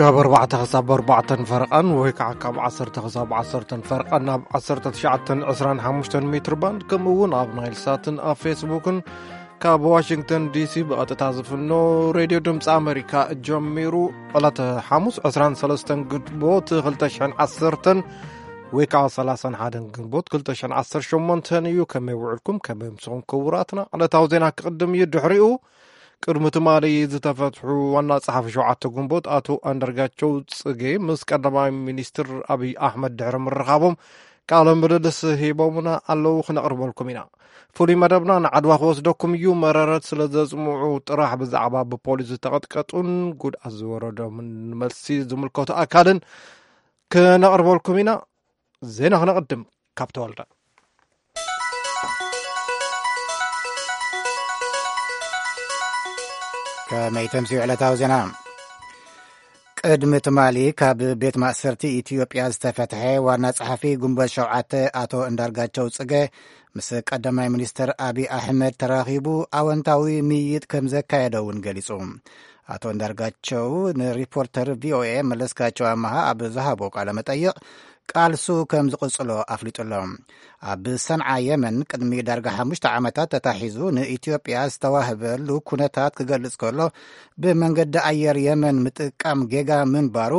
ካብ ኣርባዕተ ክሳብ ኣርባዕተን ፈርቓን ወይ ከዓ ካብ ዓሰርተ ክሳብ ዓሰርተን ፈርቓን ኣብ ዓሰርተ ትሽዓተን ዕስራን ሓሙሽተን ሜትር ባንድ፣ ከምኡ እውን ኣብ ናይል ሳትን ኣብ ፌስቡክን ካብ ዋሽንግተን ዲሲ ብቐጥታ ዝፍኖ ሬድዮ ድምፂ ኣሜሪካ ጀሚሩ። ዕለተ ሓሙስ ዕስራን ሰለስተን ግንቦት ክልተ ሽሕን ዓሰርተን ወይ ከዓ ሰላሳን ሓደን ግንቦት ክልተ ሽሕን ዓሰርተ ሸሞንተን እዩ። ከመይ ውዕልኩም? ከመይ ምስኹም ክቡራትና? ዕለታዊ ዜና ክቕድም እዩ። ድሕሪኡ ቅድሚ ትማሊ ዝተፈትሑ ዋና ጸሓፊ ሸውዓተ ግንቦት ኣቶ ኣንዳርጋቸው ጽጌ ምስ ቀዳማይ ሚኒስትር ኣብይ ኣሕመድ ድሕሪ ምርኻቦም ቃለ ምልልስ ሂቦምና ኣለዉ፣ ክነቕርበልኩም ኢና። ፍሉይ መደብና ንዓድዋ ክወስደኩም እዩ። መረረት ስለ ዘጽምዑ ጥራሕ ብዛዕባ ብፖሊስ ዝተቐጥቀጡን ጉድኣት ዝወረዶምን መልሲ ዝምልከቱ ኣካልን ክነቕርበልኩም ኢና። ዜና ክነቕድም ካብ ተወልደ። ከመይ ተምስዩ ዕለታዊ ዜና? ቅድሚ ትማሊ ካብ ቤት ማእሰርቲ ኢትዮጵያ ዝተፈትሐ ዋና ጸሓፊ ግንቦት ሸውዓተ ኣቶ እንዳርጋቸው ጽገ ምስ ቀዳማይ ሚኒስትር ኣቢ ኣሕመድ ተራኺቡ ኣወንታዊ ምይይጥ ከም ዘካየደ እውን ገሊጹ። ኣቶ እንዳርጋቸው ንሪፖርተር ቪኦኤ መለስካቸው ኣመሃ ኣብ ዝሃቦ ቃለ መጠይቕ ቃልሱ ከም ዝቕጽሎ ኣፍሊጡሎ። ኣብ ሰንዓ የመን ቅድሚ ዳርጋ ሓሙሽተ ዓመታት ተታሒዙ ንኢትዮጵያ ዝተዋህበሉ ኩነታት ክገልጽ ከሎ ብመንገዲ ኣየር የመን ምጥቃም ጌጋ ምንባሩ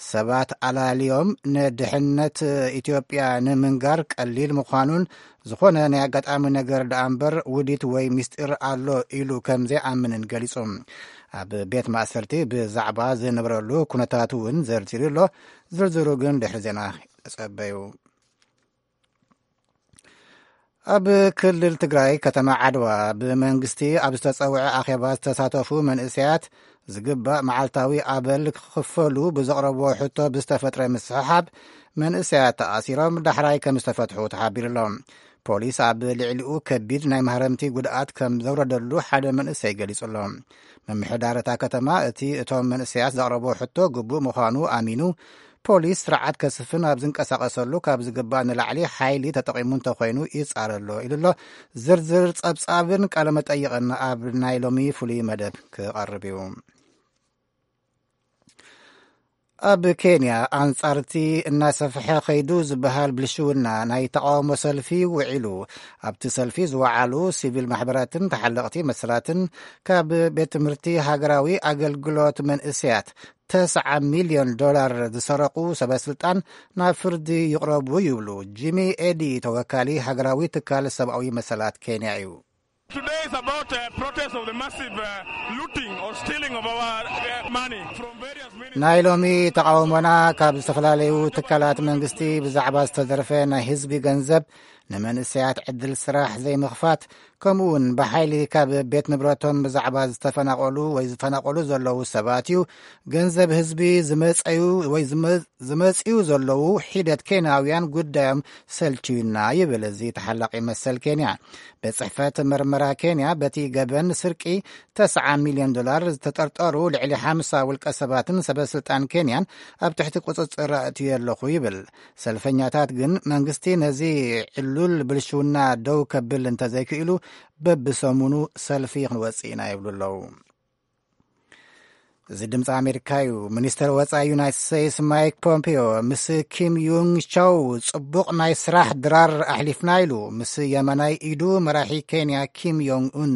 ሰባት ኣላልዮም ንድሕነት ኢትዮጵያ ንምንጋር ቀሊል ምዃኑን ዝኾነ ናይ ኣጋጣሚ ነገር ደኣ እምበር ውዲት ወይ ምስጢር ኣሎ ኢሉ ከም ዘይኣምንን ገሊጹ። ኣብ ቤት ማእሰርቲ ብዛዕባ ዝነበረሉ ኩነታት እውን ዘርዚሩ ኣሎ። ዝርዝሩ ግን ድሕሪ ዜና ተጸበዩ። ኣብ ክልል ትግራይ ከተማ ዓድዋ ብመንግስቲ ኣብ ዝተጸውዐ ኣኼባ ዝተሳተፉ መንእሰያት ዝግባእ መዓልታዊ ኣበል ክኽፈሉ ብዘቕረብዎ ሕቶ ብዝተፈጥረ ምስሕሓብ መንእሰያት ተኣሲሮም ዳሕራይ ከም ዝተፈትሑ ተሓቢሩሎም። ፖሊስ ኣብ ልዕሊኡ ከቢድ ናይ ማህረምቲ ጉድኣት ከም ዘውረደሉ ሓደ መንእሰይ ገሊጹ ኣሎ። ምምሕዳር እታ ከተማ እቲ እቶም መንእሰያት ዘቕረብዎ ሕቶ ግቡእ ምዃኑ ኣሚኑ ፖሊስ ስርዓት ከስፍን ኣብ ዝንቀሳቐሰሉ ካብ ዝግባእ ንላዕሊ ሓይሊ ተጠቒሙ እንተኾይኑ ይጻረ ኣሎ ኢሉ ኣሎ። ዝርዝር ጸብጻብን ቃለመጠይቕን ኣብ ናይ ሎሚ ፍሉይ መደብ ክቐርብ እዩ። ኣብ ኬንያ ኣንጻርቲ እናሰፍሐ ኸይዱ ዝበሃል ብልሽውና ናይ ተቓውሞ ሰልፊ ውዒሉ። ኣብቲ ሰልፊ ዝወዓሉ ሲቪል ማሕበራትን ተሓለቕቲ መሰላትን ካብ ቤት ትምህርቲ ሃገራዊ ኣገልግሎት መንእሰያት ተስዓ ሚልዮን ዶላር ዝሰረቑ ሰበስልጣን ናብ ፍርዲ ይቕረቡ ይብሉ። ጂሚ ኤዲ ተወካሊ ሃገራዊ ትካል ሰብኣዊ መሰላት ኬንያ እዩ። Today is about a protest of the massive uh, looting or stealing of our uh, money from various ministries. ናይ ሎሚ ተቓውሞና ካብ ዝተፈላለዩ ትካላት መንግስቲ ብዛዕባ ዝተዘርፈ ናይ ህዝቢ ገንዘብ፣ ንመንእሰያት ዕድል ስራሕ ዘይምኽፋት፣ ከምኡ እውን ብሓይሊ ካብ ቤት ንብረቶም ብዛዕባ ዝተፈናቐሉ ወይ ዝፈናቐሉ ዘለዉ ሰባት እዩ። ገንዘብ ህዝቢ ዝመጸዩ ወይ ዝመ- ዝመጽኡ ዘለዉ ሒደት ኬንያውያን ጉዳዮም ሰልችዩና ይብል እዚ ተሓላቒ መሰል ኬንያ። ቤት ጽሕፈት መርመራ ኬንያ በቲ ገበን ስርቂ ተስዓ ሚልዮን ዶላር ዝተጠርጠሩ ልዕሊ ሓምሳ ውልቀ ሰባትን ሰበስልጣን ኬንያን ኣብ ትሕቲ ቁጽጽር ኣእትዩ ኣለኹ ይብል። ሰልፈኛታት ግን መንግስቲ ነዚ ዕሉል ብልሽውና ደው ከብል እንተዘይክእሉ በብሰሙኑ ሰልፊ ክንወጽእ ኢና ይብሉ ኣለዉ። እዚ ድምፂ ኣሜሪካ እዩ። ሚኒስተር ወፃኢ ዩናይትድ ስቴትስ ማይክ ፖምፒዮ ምስ ኪም ዩንግ ቻው ፅቡቕ ናይ ስራሕ ድራር ኣሕሊፍና ኢሉ። ምስ የማናይ ኢዱ መራሒ ኬንያ ኪም ዮንግ ኡን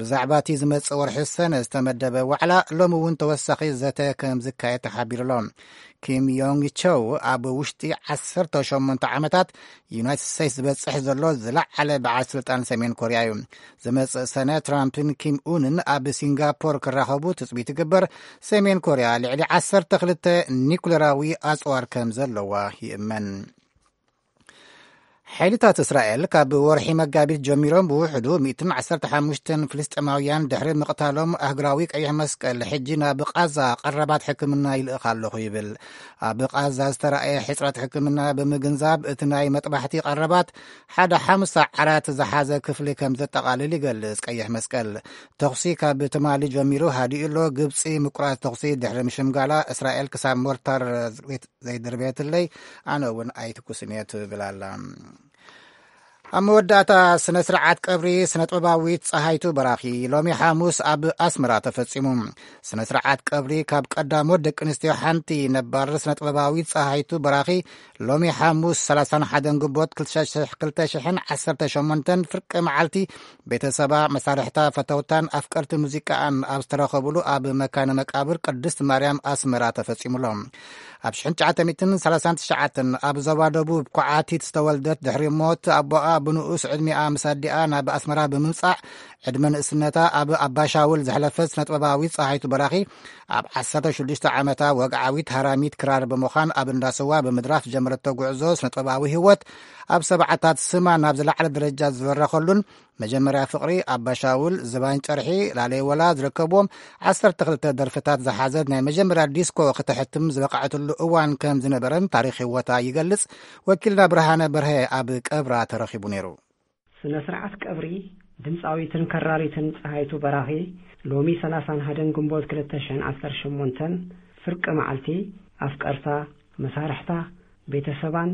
ብዛዕባ እቲ ዝመፅእ ወርሒ ሰነ ዝተመደበ ዋዕላ ሎሚ እውን ተወሳኺ ዘተ ከም ዝካየድ ተሓቢሩ ኣሎ። ኪም ዮንግ ቸው ኣብ ውሽጢ ዓሰርተ ሸሞንተ ዓመታት ዩናይትድ ስቴትስ ዝበፅሕ ዘሎ ዝለዓለ በዓል ስልጣን ሰሜን ኮርያ እዩ። ዝመፅእ ሰነ ትራምፕን ኪም ኡንን ኣብ ሲንጋፖር ክራኸቡ ትፅቢት ይግበር። ሰሜን ኮርያ ልዕሊ ዓሰርተ ክልተ ኒኩሌራዊ ኣፅዋር ከም ዘለዋ ይእመን። ሓይልታት እስራኤል ካብ ወርሒ መጋቢት ጀሚሮም ብውሕዱ ሚእትን ዓሰርተ ሓሙሽተን ፍልስጤማውያን ድሕሪ ምቕታሎም ኣህግራዊ ቀይሕ መስቀል ሕጂ ናብ ቃዛ ቀረባት ሕክምና ይልእኽ ኣለኹ ይብል። ኣብ ቃዛ ዝተረኣየ ሕፅረት ሕክምና ብምግንዛብ እቲ ናይ መጥባሕቲ ቀረባት ሓደ ሓምሳ ዓራት ዝሓዘ ክፍሊ ከም ዘጠቓልል ይገልጽ ቀይሕ መስቀል። ተኹሲ ካብ ትማሊ ጀሚሩ ሃዲኡ ኣሎ። ግብፂ ምቁራፅ ተኹሲ ድሕሪ ምሽምጋላ እስራኤል ክሳብ ሞርታር ዘይድርበየትለይ ኣነ እውን ኣይትኩስን እየ ትብል ኣላ። ኣብ መወዳእታ ስነ ስርዓት ቀብሪ ስነ ጥበባዊት ጸሃይቱ በራኺ ሎሚ ሓሙስ ኣብ ኣስመራ ተፈጺሙ። ስነ ስርዓት ቀብሪ ካብ ቀዳሞት ደቂ ኣንስትዮ ሓንቲ ነባር ስነ ጥበባዊት ጸሃይቱ በራኺ ሎሚ ሓሙስ ሰላሳን ሓደን ግንቦት ክልተ ሽሕን ዓሰርተ ሸሞንተን ፍርቂ መዓልቲ ቤተሰባ፣ መሳርሕታ፣ ፈተውታን ኣፍቀርቲ ሙዚቃኣን ኣብ ዝተረኸብሉ ኣብ መካነ መቃብር ቅድስት ማርያም ኣስመራ ተፈጺሙሎም። ኣብ ሽሕን ትሽዓተ ሚእትን ሰላሳን ትሽዓተን ኣብ ዞባ ደቡብ ኳዓቲት ዝተወልደት ድሕሪ ሞት ኣቦኣ ብንኡስ ዕድሚኣ ምስ ኣዲኣ ናብ ኣስመራ ብምምጻእ ዕድመ ንእስነታ ኣብ ኣባሻውል ዘሕለፈት ስነጥበባዊት ጸሃይቱ በራኺ ኣብ ዓሰርተ ሽዱሽተ ዓመታ ወግዓዊት ሃራሚት ክራር ብምዃን ኣብ እንዳስዋ ብምድራፍ ጀመረቶ ጉዕዞ ስነጥበባዊ ህይወት ኣብ ሰብዓታት ስማ ናብ ዝለዓለ ደረጃ ዝበረኸሉን መጀመርያ ፍቕሪ ኣባሻውል ዝባን ጨርሒ ላለይ ወላ ዝርከብዎም ዓሰርተ ክልተ ደርፍታት ዝሓዘት ናይ መጀመርያ ዲስኮ ክተሕትም ዝበቕዐትሉ እዋን ከም ዝነበረን ታሪኽ ህይወታ ይገልጽ። ወኪልና ብርሃነ በርሀ ኣብ ቀብራ ተረኺቡ ነይሩ። ስነ ስርዓት ቀብሪ ድምፃዊትን ከራሪትን ፀሃይቱ በራኺ ሎሚ ሰላሳን ሓደን ግንቦት ክልተ ሽሕን ዓሰርተ ሸሞንተን ፍርቂ መዓልቲ ኣፍቀርታ፣ መሳርሕታ፣ ቤተሰባን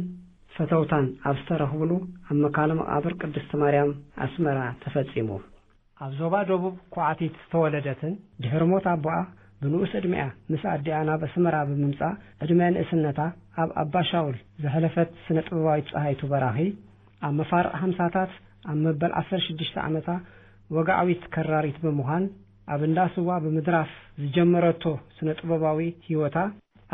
ፈተውታን ኣብ ዝተረኽብሉ ኣብ መካነ መቃብር ቅድስት ማርያም ኣስመራ ተፈጺሙ። ኣብ ዞባ ደቡብ ኳዕቲት ዝተወለደትን ድሕሪ ሞት ኣቦኣ ብንኡስ ዕድሚኣ ምስ ኣዲኣ ናብ ኣስመራ ብምምጻእ ዕድመ ንእስነታ ኣብ ኣባሻውል ዘሕለፈት ስነ ጥበባዊት ጸሃይቱ በራኺ ኣብ መፋርቕ ሓምሳታት ኣብ መበል ዓሰርተ ሽዱሽተ ዓመታ ወግዓዊት ከራሪት ብምዃን ኣብ እንዳ ስዋ ብምድራፍ ዝጀመረቶ ስነ ጥበባዊ ህይወታ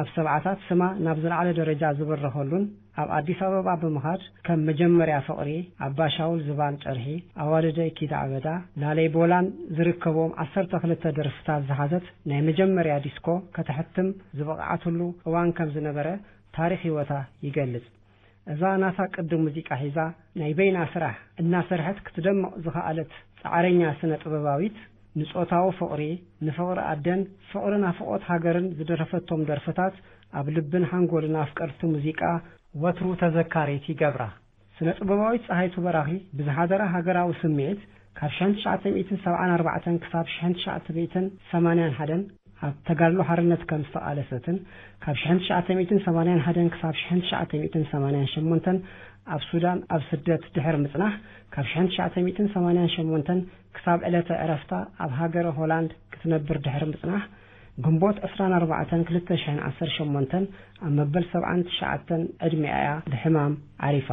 ኣብ ሰብዓታት ስማ ናብ ዝለዓለ ደረጃ ዝበረኸሉን ኣብ ኣዲስ ኣበባ ብምኻድ ከም መጀመርያ ፍቕሪ፣ ኣባሻውል ዝባን ጨርሒ፣ ኣዋልደይ ኪዳ ኣበዳ፣ ላለይ ቦላን ዝርከብዎም ዓሰርተ ክልተ ደርፍታት ዝሓዘት ናይ መጀመርያ ዲስኮ ከተሕትም ዝበቕዓትሉ እዋን ከም ዝነበረ ታሪኽ ህይወታ ይገልጽ። እዛ ናታ ቅዲ ሙዚቃ ሒዛ ናይ በይና ስራሕ እናሰርሐት ክትደምቕ ዝኸኣለት ጻዕረኛ ስነ ጥበባዊት ንጾታዊ ፍቕሪ፣ ንፍቕሪ ኣደን ፍቕሪ ናፍቖት ሃገርን ዝደረፈቶም ደርፍታት ኣብ ልብን ሓንጎልን ኣፍቀርቲ ሙዚቃ ወትሩ ተዘካሪት ይገብራ። ስነ ጥበባዊት ጸሃይቱ በራኺ ብዝሓደራ ሃገራዊ ስምዒት ካብ ሽሕን ትሽዓተ ሚእትን ሰብዓን ኣርባዕተን ክሳብ ሽሕን ትሽዓተ ሚእትን ሰማንያን ሓደን ኣብ ተጋድሎ ሓርነት ከም ዝተቓለሰትን ካብ ሽሕን ትሽዓተ ሚእትን ሰማንያን ሓደን ክሳብ ሽሕን ትሽዓተ ሚእትን ሰማንያን ሸሞንተን ኣብ ሱዳን ኣብ ስደት ድሕሪ ምጽናሕ ካብ ሽሕን ትሽዓተ ሚእትን ሰማንያን ሸሞንተን ክሳብ ዕለተ ዕረፍታ ኣብ ሃገረ ሆላንድ ክትነብር ድሕሪ ምጽናሕ ግንቦት ዕስራን ኣርባዕተን ክልተ ሽሕን ዓሰርተ ሸሞንተን ኣብ መበል ሰብዓን ትሽዓተን ዕድሚኣ እያ ብሕማም ዓሪፋ።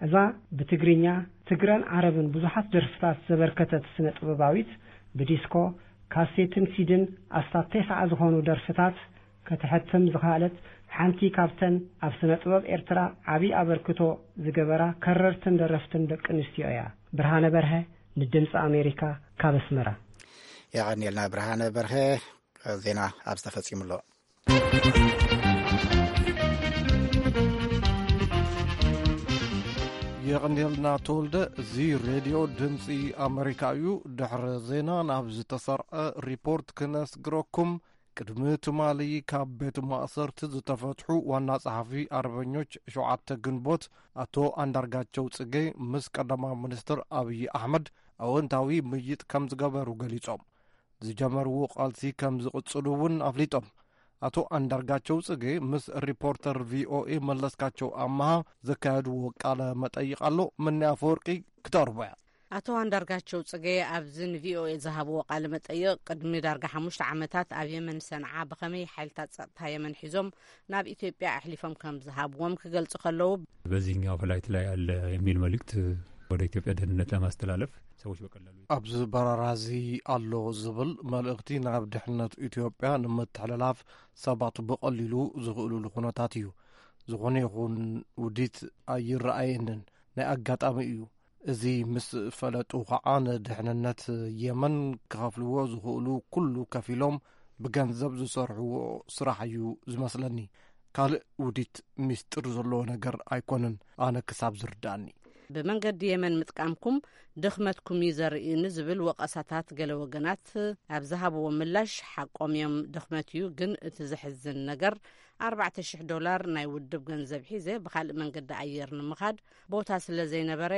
እዛ ብትግርኛ፣ ትግረን ዓረብን ብዙሓት ደርፍታት ዘበርከተት ስነ ጥበባዊት ብዲስኮ፣ ካሴትን ሲድን ኣስታት ተስዓ ዝኾኑ ደርፍታት ከተሕትም ዝኸኣለት ሓንቲ ካብተን ኣብ ስነ ጥበብ ኤርትራ ዓቢ ኣበርክቶ ዝገበራ ከረርትን ደረፍትን ደቂ ኣንስትዮ እያ። ብርሃነ በርሀ ንድምፂ ኣሜሪካ ካብ ኣስመራ። የቐንየልና ብርሃነ በርሀ። ዜና ኣብ ዝተፈጺሙ ኣሎ። የቐንየልና ተወልደ። እዚ ሬድዮ ድምፂ ኣሜሪካ እዩ። ድሕሪ ዜና ናብ ዝተሰርዐ ሪፖርት ክነስግረኩም። ቅድሚ ትማሊ ካብ ቤት ማእሰርቲ ዝተፈትሑ ዋና ጸሓፊ ኣርበኞች ሸውዓተ ግንቦት ኣቶ ኣንዳርጋቸው ጽጌ ምስ ቀዳማዊ ሚኒስትር ኣብይ ኣሕመድ ኣወንታዊ ምይጥ ከም ዝገበሩ ገሊጾም። ዝጀመርዎ ቃልሲ ከም ዝቕጽሉ እውን ኣፍሊጦም። ኣቶ ኣንዳርጋቸው ጽጌ ምስ ሪፖርተር ቪኦኤ መለስካቸው ኣመሃ ዘካየድዎ ቃለ መጠይቕ ኣሎ። ምኒ ኣፈወርቂ ክተቕርቦ እያ። ኣቶ ኣንዳርጋቸው ጽጌ ኣብዚ ንቪኦኤ ዝሃብዎ ቃለ መጠይቕ ቅድሚ ዳርጋ ሓሙሽተ ዓመታት ኣብ የመን ሰንዓ ብኸመይ ሓይልታት ጸጥታ የመን ሒዞም ናብ ኢትዮጵያ ኣሕሊፎም ከም ዝሃብዎም ክገልጹ ከለዉ፣ በዚህኛው ፍላይት ላይ አለ የሚል መልእክት ወደ ኢትዮጵያ ደህንነት ለማስተላለፍ ሰዎች በቀላሉ ኣብዚ በረራ እዚ ኣሎ ዝብል መልእኽቲ ናብ ድሕነት ኢትዮጵያ ንምትሕልላፍ ሰባት ብቐሊሉ ዝኽእሉሉ ኩነታት እዩ። ዝኾነ ይኹን ውዲት ኣይረኣየንን። ናይ ኣጋጣሚ እዩ። እዚ ምስ ፈለጡ ኸዓ ንድሕንነት የመን ክኸፍልዎ ዝኽእሉ ኩሉ ከፊሎም ብገንዘብ ዝሰርሕዎ ስራሕ እዩ ዝመስለኒ። ካልእ ውዲት ሚስጥር ዘለዎ ነገር ኣይኮነን፣ ኣነ ክሳብ ዝርዳእኒ። ብመንገዲ የመን ምጥቃምኩም ድኽመትኩም እዩ ዘርኢ ንዝብል ወቐሳታት ገለ ወገናት ኣብ ዝሃብዎ ምላሽ፣ ሓቆም እዮም፣ ድኽመት እዩ፣ ግን እቲ ዘሕዝን ነገር ኣርባዕተ ሽሕ ዶላር ናይ ውድብ ገንዘብ ሒዘ ብኻልእ መንገዲ ኣየር ንምኻድ ቦታ ስለ ዘይነበረ፣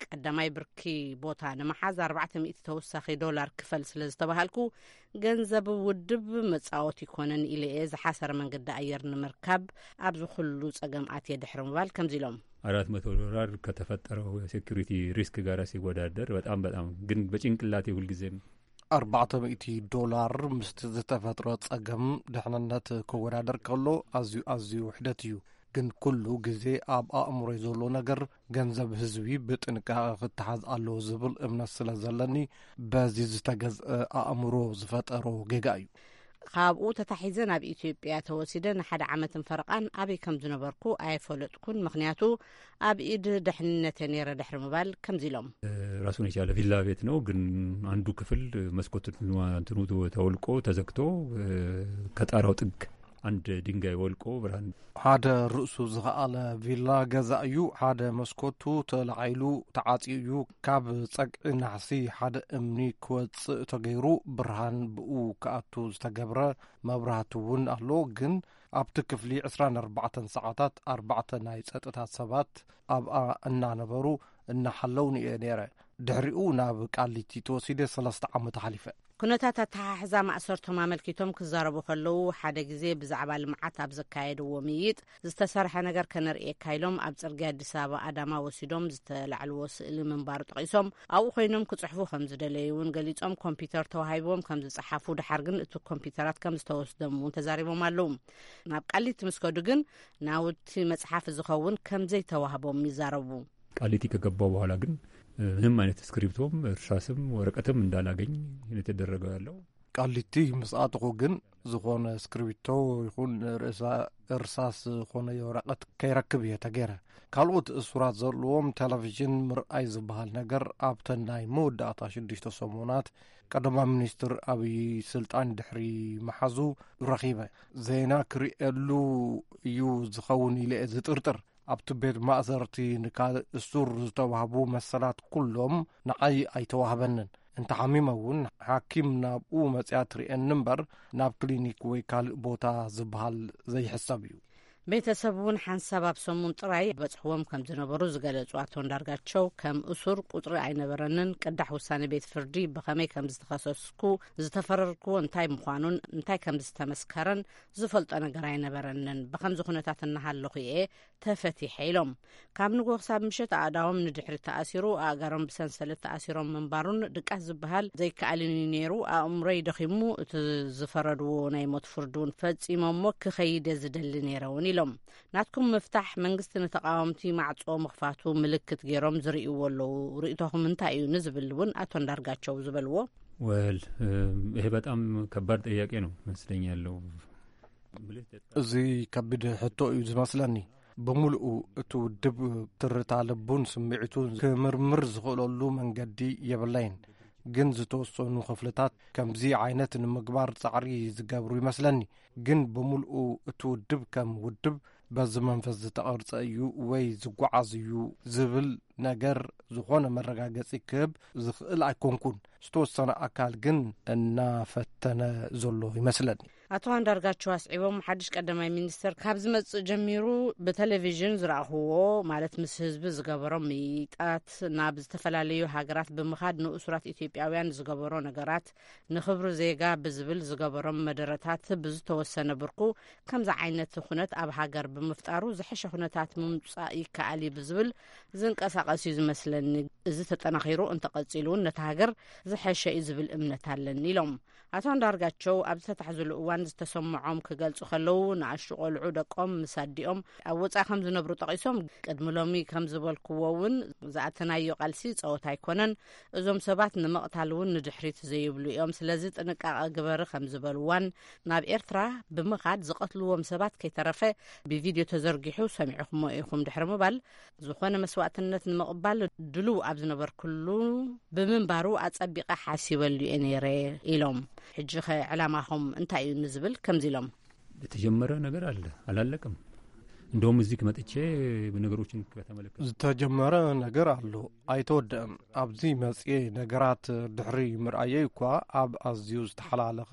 ቀዳማይ ብርኪ ቦታ ንምሓዝ ኣርባዕተ ሚእቲ ተወሳኺ ዶላር ክፈል ስለ ዝተባሃልኩ፣ ገንዘብ ውድብ መጻወቲ ይኮነን ኢለ እየ ዝሓሰረ መንገዲ ኣየር ንምርካብ ኣብዚ ኩሉ ጸገም ኣትየ ድሕሪ ምባል ከምዚ ኢሎም። አራት መቶ ዶላር ከተፈጠረው የሴኩሪቲ ሪስክ ጋር ሲወዳደር በጣም በጣም ግን በጭንቅላቴ ሁልጊዜም አርባዕተ ሚእቲ ዶላር ምስቲ ዝተፈጥሮ ጸገም ድሕንነት ክወዳደር ከሎ ኣዝዩ ኣዝዩ ውሕደት እዩ። ግን ኩሉ ግዜ ኣብ ኣእምሮይ ዘሎ ነገር ገንዘብ ህዝቢ ብጥንቃቐ ክተሓዝ ኣለዎ ዝብል እምነት ስለ ዘለኒ፣ በዚ ዝተገዝአ ኣእምሮ ዝፈጠሮ ጌጋ እዩ። ካብኡ ተታሒዘ ናብ ኢትዮጵያ ተወሲደ ንሓደ ዓመትን ፈረቓን ኣበይ ከም ዝነበርኩ ኣየፈለጥኩን። ምኽንያቱ ኣብ ኢድ ደሕንነተ ነይረ ድሕሪ ምባል ከምዚ ኢሎም። ራሱን የቻለ ቪላ ቤት ነው፣ ግን አንዱ ክፍል መስኮት እንትኑ ተወልቆ ተዘግቶ ከጣራው ጥግ አንድ ድንጋይ ወልቆ ብርሃን ሓደ ርእሱ ዝኸኣለ ቪላ ገዛ እዩ። ሓደ መስኮቱ ተላዒሉ ተዓጽዩ እዩ። ካብ ጸግዒ ናሕሲ ሓደ እምኒ ክወጽእ ተገይሩ ብርሃን ብኡ ክኣቱ ዝተገብረ መብራህቲ እውን ኣሎ። ግን ኣብቲ ክፍሊ ዕስራን ኣርባዕተን ሰዓታት ኣርባዕተ ናይ ጸጥታ ሰባት ኣብኣ እናነበሩ እናሓለውኒ እየ ነይረ። ድሕሪኡ ናብ ቃሊቲ ተወሲደ ሰለስተ ዓመት ሓሊፈ። ኩነታት ኣተሓሕዛ ማእሰርቶም ኣመልኪቶም ክዛረቡ ከለዉ፣ ሓደ ግዜ ብዛዕባ ልምዓት ኣብ ዘካየድዎ ምይይጥ፣ ዝተሰርሐ ነገር ከነርእየካ ኢሎም ኣብ ጽርግያ ኣዲስ ኣበባ ኣዳማ ወሲዶም ዝተላዕልዎ ስእሊ ምንባሩ ጠቒሶም፣ ኣብኡ ኮይኖም ክጽሕፉ ከም ዝደለዩ እውን ገሊጾም፣ ኮምፒተር ተዋሂብዎም ከም ዝጸሓፉ፣ ድሓር ግን እቲ ኮምፒተራት ከም ዝተወስዶም እውን ተዛሪቦም ኣለዉ። ናብ ቃሊቲ ምስ ከዱ ግን ናውቲ መጽሓፊ ዝኸውን ከም ዘይተዋህቦም ይዛረቡ። ቃሊቲ ከገባው በኋላ ግን ምንም አይነት እስክሪብቶም እርሳስም ወረቀትም እንዳላገኝ የተደረገው ያለው። ቃሊቲ ምስ ኣተኹ ግን ዝኾነ እስክሪብቶ ይኹን ርእሳ እርሳስ ዝኾነ ወረቀት ከይረክብ እየ ተገይረ። ካልኦት እሱራት ዘለዎም ቴሌቪዥን ምርኣይ ዝበሃል ነገር ኣብተን ናይ መወዳእታ ሽዱሽተ ሰሙናት ቀዳማይ ሚኒስትር ኣብይ ስልጣን ድሕሪ መሓዙ ረኺበ። ዜና ክርእየሉ እዩ ዝኸውን ኢለ እየ ዝጥርጥር። ኣብቲ ቤት ማእሰርቲ ንካልእ እሱር ዝተዋህቡ መሰላት ኩሎም ንዓይ ኣይተዋህበንን። እንተሓሚመ እውን ሓኪም ናብኡ መጽያ ትርእየኒ እምበር ናብ ክሊኒክ ወይ ካልእ ቦታ ዝበሃል ዘይሕሰብ እዩ። ቤተሰብ እውን ሓንሳብ ኣብ ሰሙን ጥራይ በጽሕዎም ከም ዝነበሩ ዝገለጹ ኣቶ እንዳርጋቸው፣ ከም እሱር ቁጽሪ ኣይነበረንን። ቅዳሕ ውሳኔ ቤት ፍርዲ ብኸመይ ከም ዝተኸሰስኩ፣ ዝተፈረድክዎ እንታይ ምዃኑን እንታይ ከም ዝተመስከረን ዝፈልጦ ነገር ኣይነበረንን። ብኸምዚ ኩነታት እናሃለኹ እየ ተፈቲሐ ኢሎም። ካብ ንግሆ ክሳብ ምሸት ኣእዳዎም ንድሕሪት ተኣሲሩ፣ ኣእጋሮም ብሰንሰለት ተኣሲሮም ምንባሩን ድቃስ ዝበሃል ዘይከኣልን እዩ ነይሩ። ኣእምሮይ ደኺሙ፣ እቲ ዝፈረድዎ ናይ ሞት ፍርዲ እውን ፈጺሞሞ ክኸይድ እየ ዝደሊ ነይረ እውን ኢሎም። ናትኩም ምፍታሕ መንግስቲ ንተቓወምቲ ማዕጾ ምኽፋቱ ምልክት ገይሮም ዝርእይዎ ኣለዉ። ርእይቶኹም እንታይ እዩ ንዝብል እውን ኣቶ እንዳርጋቸው ዝበልዎ። ወል ይሄ በጣም ከባድ ጥያቄ ነው መስለኛለሁ። እዚ ከቢድ ሕቶ እዩ ዝመስለኒ። ብምልኡ እቲ ውድብ ትርታ ልቡን ስምዒቱን ክምርምር ዝኽእለሉ መንገዲ የብለይን። ግን ዝተወሰኑ ክፍልታት ከምዚ ዓይነት ንምግባር ጻዕሪ ዝገብሩ ይመስለኒ። ግን ብምልኡ እቲ ውድብ ከም ውድብ በዚ መንፈስ ዝተቐርጸ እዩ ወይ ዝጓዓዝ እዩ ዝብል ነገር ዝኾነ መረጋገጺ ክህብ ዝኽእል ኣይኮንኩን። ዝተወሰነ ኣካል ግን እናፈተነ ዘሎ ይመስለኒ። ኣቶ ኣንዳርጋቸው ኣስዒቦም፣ ሓድሽ ቀዳማይ ሚኒስተር ካብ ዝመጽእ ጀሚሩ ብቴሌቪዥን ዝረኣኽዎ፣ ማለት ምስ ህዝቢ ዝገበሮም ምይይጣት፣ ናብ ዝተፈላለዩ ሃገራት ብምኻድ ንእሱራት ኢትዮጵያውያን ዝገበሮ ነገራት፣ ንኽብሪ ዜጋ ብዝብል ዝገበሮም መደረታት ብዝተወሰነ ብርኩ ከምዚ ዓይነት ኩነት ኣብ ሃገር ብምፍጣሩ ዝሐሸ ኩነታት ምምጻእ ይከኣል እዩ ብዝብል ዝንቀሳቐስ እዩ ዝመስለኒ። እዚ ተጠናኺሩ እንተቐጺሉ እውን ነታ ሃገር ዝሐሸ እዩ ዝብል እምነት ኣለኒ ኢሎም። ኣቶ ኣንዳርጋቸው ኣብ ዝተታሕዝሉ እዋን ዝተሰምዖም ክገልጹ ከለዉ፣ ንኣሽቱ ቆልዑ ደቆም ምስ ኣዲኦም ኣብ ወጻኢ ከም ዝነብሩ ጠቒሶም፣ ቅድሚ ሎሚ ከም ዝበልክዎ እውን ዝኣተናዮ ቃልሲ ጸወታ ኣይኮነን፣ እዞም ሰባት ንምቕታል እውን ንድሕሪት ዘይብሉ እዮም፣ ስለዚ ጥንቃቐ ግበሪ ከም ዝበልዋን ናብ ኤርትራ ብምኻድ ዝቐትልዎም ሰባት ከይተረፈ ብቪድዮ ተዘርጊሑ ሰሚዕኹሞ ኢኹም ድሕሪ ምባል፣ ዝኾነ መስዋእትነት ንምቕባል ድሉው ኣብ ዝነበርኩሉ ብምንባሩ ኣጸቢቐ ሓሲበሉ እየ ነይረ ኢሎም። ሕጂ ኸ ዕላማኹም እንታይ እዩ ንዝብል ከምዚ ኢሎም። የተጀመረ ነገር አለ፣ አላለቀም። እንደውም እዚህ መጥቼ ነገሮችን ከተመለከት ዝተጀመረ ነገር ኣሎ፣ ኣይተወደእም። ኣብዚ መጽኤ ነገራት ድሕሪ ምርኣየይ እኳ ኣብ ኣዝዩ ዝተሓላለኸ፣